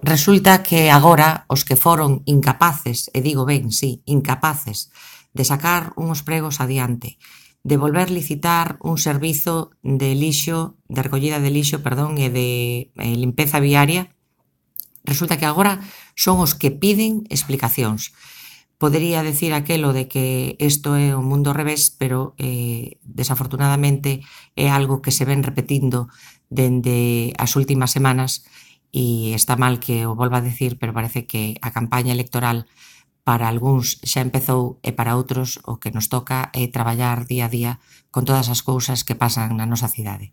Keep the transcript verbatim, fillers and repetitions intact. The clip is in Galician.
resulta que agora os que foron incapaces, e digo ben, sí, incapaces, de sacar uns pregos adiante, de volver licitar un servizo de lixo, de recollida de lixo, perdón, e de eh, limpeza viaria, resulta que agora son os que piden explicacións. Podería decir aquelo de que isto é un mundo ao revés, pero eh, desafortunadamente é algo que se ven repetindo dende as últimas semanas e está mal que o volva a decir, pero parece que a campaña electoral para algúns xa empezou e para outros o que nos toca é traballar día a día con todas as cousas que pasan na nosa cidade.